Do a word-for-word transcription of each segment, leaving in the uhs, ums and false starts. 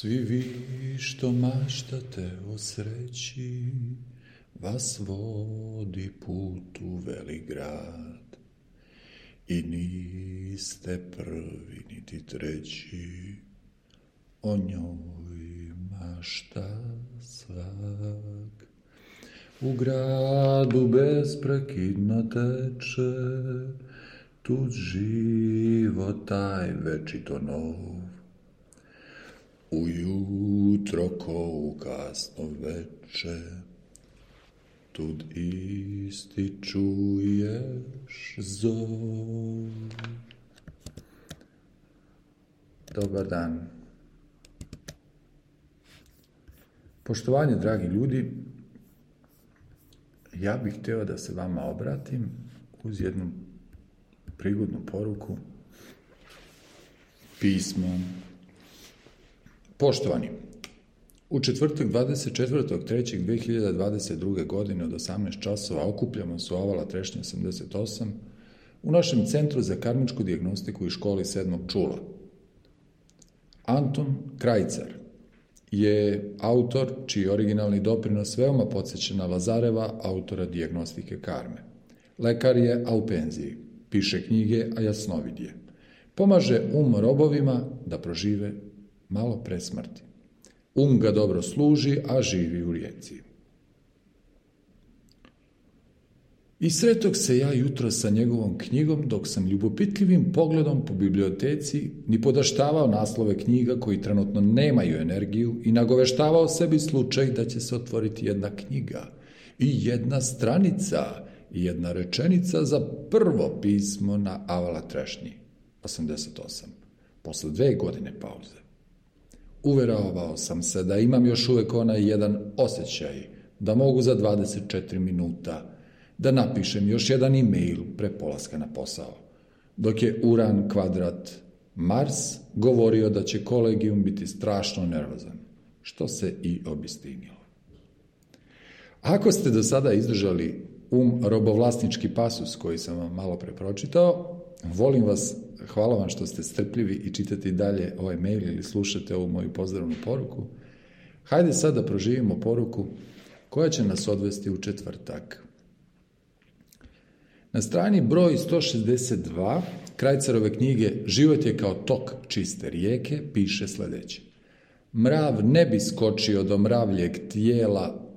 Svi vi što maštate o sreći, vas vodi put u velik grad. I niste prvi niti treći, o njoj mašta svak. U gradu besprekidno teče, tud život taj večito nov. Ujutro ko u kasno veče, tud isti čuješ zov. Dobar dan. Poštovanje, dragi ljudi, ja bih htio da se vama obratim uz jednu prigodnu poruku pismom. Poštovani, u četvrtak dvadeset četvrtog trećeg dve hiljade dvadeset druge. godine od osamnaest časova okupljamo se u Avala Trešnja osamdeset osam u našem Centru za karmičku dijagnostiku i školi sedmog čula. Anton Krajcar je autor čiji originalni doprinos veoma podsjeća na Lazareva, autora dijagnostike karme. Lekar je, a u penziji. Piše knjige, a jasnovid je. Pomaže um robovima da prožive malo pre smrti. Um ga dobro služi, a živi u rijeci. I sretog se ja jutro sa njegovom knjigom, dok sam ljubopitljivim pogledom po biblioteci ni podaštavao naslove knjiga koji trenutno nemaju energiju i nagoveštavao sebi slučaj da će se otvoriti jedna knjiga i jedna stranica i jedna rečenica za prvo pismo na Avala Trešnji osamdeset osam, posle dve godine pauze. Uveravao sam se da imam još uvek onaj jedan osjećaj da mogu za dvadeset četiri minuta da napišem još jedan e-mail pre polaska na posao, dok je Uran kvadrat Mars govorio da će kolegijum biti strašno nervozan, što se i obistinilo. Ako ste do sada izdržali um robovlasnički pasus koji sam vam malo pre pročitao, volim vas, hvala vam što ste strpljivi i čitate i dalje ovaj mail ili slušate ovu moju pozdravnu poruku. Hajde sad da proživimo poruku koja će nas odvesti u četvrtak. Na strani broj sto šezdeset dva Krajcarove knjige Život je kao tok čiste rijeke piše sledeće. Mrav ne bi skočio do mravljeg tijela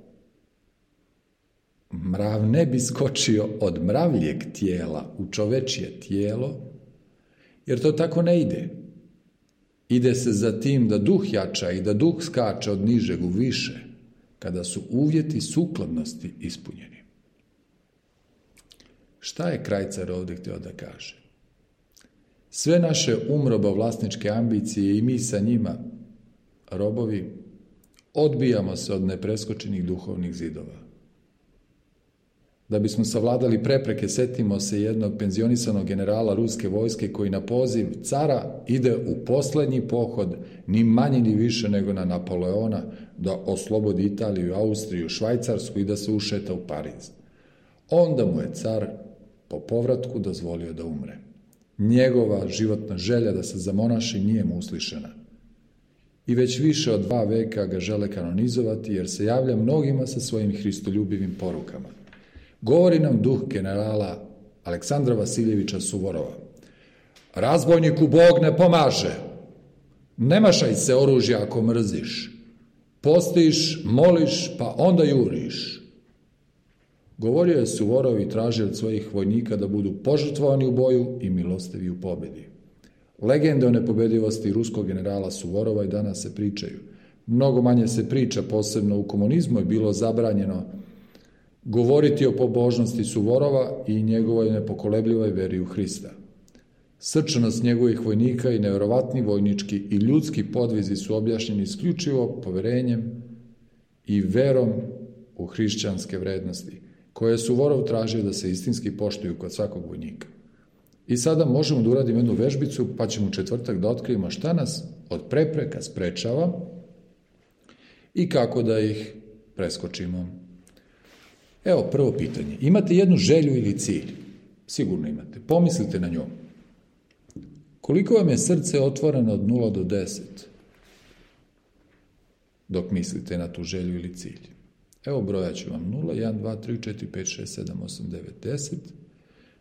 Mrav ne bi skočio od mravljeg tijela u čovečje tijelo, jer to tako ne ide. Ide se za tim da duh jača i da duh skače od nižeg u više, kada su uvjeti sukladnosti ispunjeni. Šta je Krajcar ovdje htio da kaže? Sve naše umrobovlasničke ambicije i mi sa njima, robovi, odbijamo se od nepreskočenih duhovnih zidova. Da bismo savladali prepreke, setimo se jednog penzionisanog generala ruske vojske koji na poziv cara ide u poslednji pohod, ni manje ni više nego na Napoleona, da oslobodi Italiju, Austriju, Švajcarsku i da se ušeta u Pariz. Onda mu je car po povratku dozvolio da umre. Njegova životna želja da se zamonaši nije mu uslišena. I već više od dva veka ga žele kanonizovati jer se javlja mnogima sa svojim hristoljubivim porukama. Govori nam duh generala Aleksandra Vasiljevića Suvorova. Razbojniku Bog ne pomaže. Ne mašaj se oružja ako mrziš. Postiš, moliš, pa onda juriš. Govorio je Suvorov i tražio od svojih vojnika da budu požrtvovani u boju i milostivi u pobedi. Legende o nepobedivosti ruskog generala Suvorova i danas se pričaju. Mnogo manje se priča, posebno u komunizmu je bilo zabranjeno govoriti o pobožnosti Suvorova i njegovoj nepokolebljivoj veri u Hrista. Srčanost njegovih vojnika i nevjerovatni vojnički i ljudski podvizi su objašnjeni isključivo poverenjem i verom u hrišćanske vrednosti, koje je Suvorov tražio da se istinski poštuju kod svakog vojnika. I sada možemo da uradimo jednu vežbicu, pa ćemo u četvrtak da otkrijemo šta nas od prepreka sprečava i kako da ih preskočimo. Evo, prvo pitanje. Imate jednu želju ili cilj? Sigurno imate. Pomislite na njom. Koliko vam je srce otvoreno od nula do deset? dok mislite na tu želju ili cilj. Evo brojat ću vam nula, jedan, dva, tri, četiri, pet, šest, sedam, osam, devet, deset,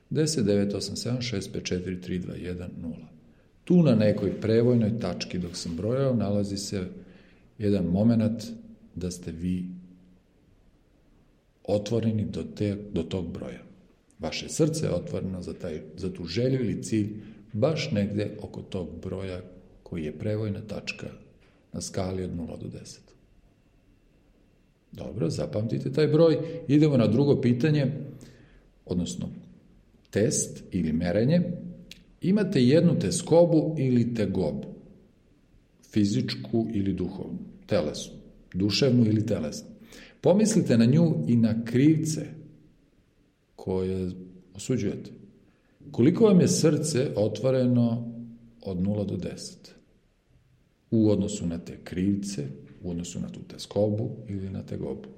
deset, devet, osam, sedam, šest, pet, četiri, tri, dva, jedan, nula. Tu na nekoj prevojnoj tački dok sam brojao nalazi se jedan moment da ste vi otvoreni do, te, do tog broja. Vaše srce je otvoreno za, taj, za tu želju ili cilj baš negde oko tog broja koji je prevojna tačka na skali od nula do deset. Dobro, zapamtite taj broj. Idemo na drugo pitanje, odnosno test ili merenje. Imate jednu teskobu ili tegobu, fizičku ili duhovnu, telesnu, duševnu ili telesnu. Pomislite na nju i na krivce koje osuđujete. Koliko vam je srce otvoreno od nula do deset? U odnosu na te krivce, u odnosu na tu teskobu ili na tegobu.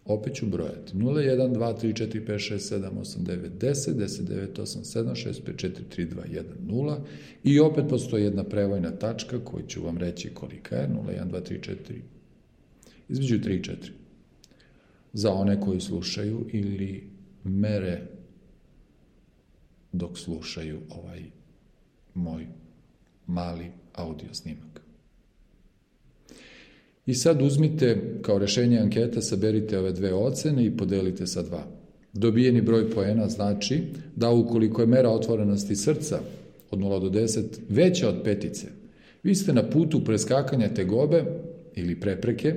Opet ću brojati. nula, jedan, dva, tri, četiri, pet, šest, sedam, osam, devet, deset, deset, devet, osam, sedam, šest, pet, četiri, tri, dva, jedan, nula. I opet postoji jedna prevojna tačka koju ću vam reći kolika je. nula, jedan, dva, tri, četiri. Između tri i četiri. Za one koji slušaju ili mere dok slušaju ovaj moj mali audio snimak. I sad uzmite kao rešenje anketa, saberite ove dve ocene i podelite sa dva. Dobijeni broj poena znači da ukoliko je mera otvorenosti srca od nula do deset veća od petice, vi ste na putu preskakanja tegobe ili prepreke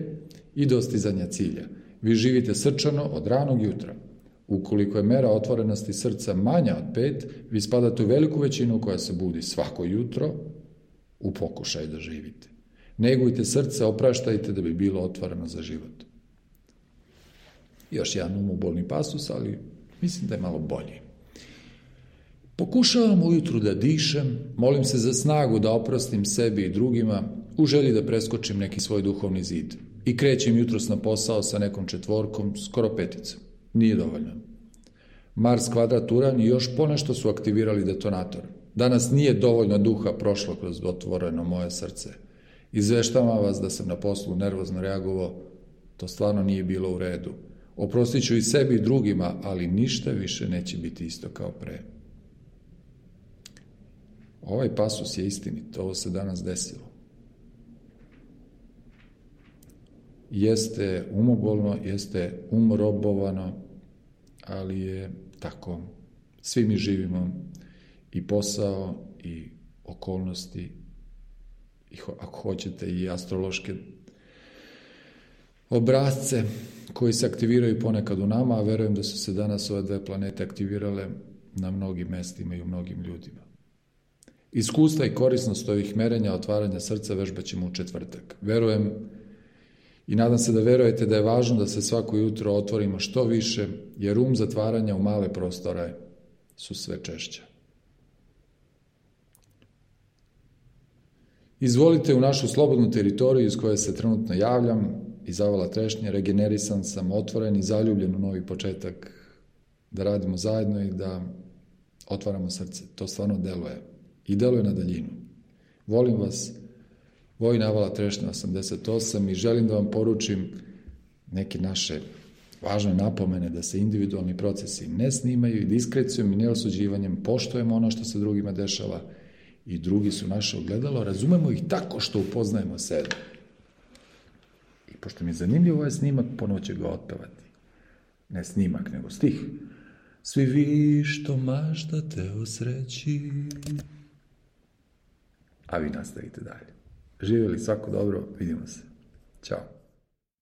i dostizanja cilja. Vi živite srčano od ranog jutra. Ukoliko je mera otvorenosti srca manja od pet, vi spadate u veliku većinu koja se budi svako jutro u pokušaju da živite. Negujte srce, opraštajte da bi bilo otvoreno za život. Još jedan umobolni pasus, ali mislim da je malo bolji. Pokušavam ujutru da dišem, molim se za snagu da oprostim sebi i drugima, u želji da preskočim neki svoj duhovni zid. I krećem jutros na posao sa nekom četvorkom, skoro peticom. Nije dovoljno. Mars, kvadrat, Uran i još ponešto su aktivirali detonator. Danas nije dovoljno duha prošlo kroz otvoreno moje srce. Izveštavam vas da sam na poslu nervozno reagovao, to stvarno nije bilo u redu. Oprostit ću i sebi i drugima, ali ništa više neće biti isto kao pre. Ovaj pasus je istinit, ovo se danas desilo. Jeste umobolno, jeste umrobovano, ali je tako. Svi mi živimo i posao i okolnosti, i ako hoćete i astrološke obrazce koji se aktiviraju ponekad u nama, a verujem da su se danas ove dve planete aktivirale na mnogim mestima i u mnogim ljudima. Iskustva i korisnost ovih merenja, otvaranja srca vežbat ćemo u četvrtak. Verujem i nadam se da verujete da je važno da se svako jutro otvorimo što više, jer um zatvaranja u male prostore su sve češće. Izvolite u našu slobodnu teritoriju iz koje se trenutno javljam, iz Avala Trešnje, regenerisan sam, otvoren i zaljubljen u novi početak, da radimo zajedno i da otvaramo srce. To stvarno deluje i deluje na daljinu. Volim vas, Vojin Avala Trešnja osamdeset osam i želim da vam poručim neke naše važne napomene da se individualni procesi ne snimaju i diskrecijom i neosuđivanjem poštujemo ono što se drugima dešava i drugi su naše ogledalo, razumemo ih tako što upoznajemo sebe. I pošto mi je zanimljiv ovaj snimak, ponovo ću ga otpevati. Ne snimak, nego stih. Svi vi što maštate o sreći. A vi nastavite dalje. Živjeli svako dobro, vidimo se. Ćao.